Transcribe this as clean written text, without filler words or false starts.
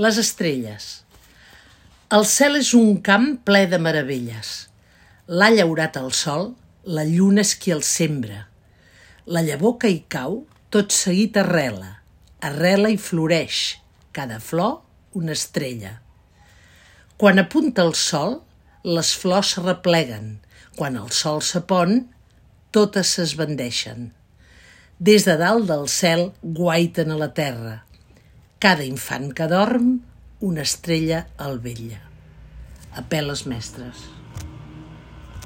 Les estrelles. El cel és un camp ple de meravelles. L'ha llaurat el sol, la lluna és qui el sembra. La llavor que hi cau, tot seguit arrela i floreix, cada flor una estrella. Quan apunta el sol, les flors s'arrepleguen. Quan el sol s'apon, totes s'esbandeixen. Des de dalt del cel guaiten a la terra. Cada infant que dorm, una estrella el vetlla. Apel·les mestres.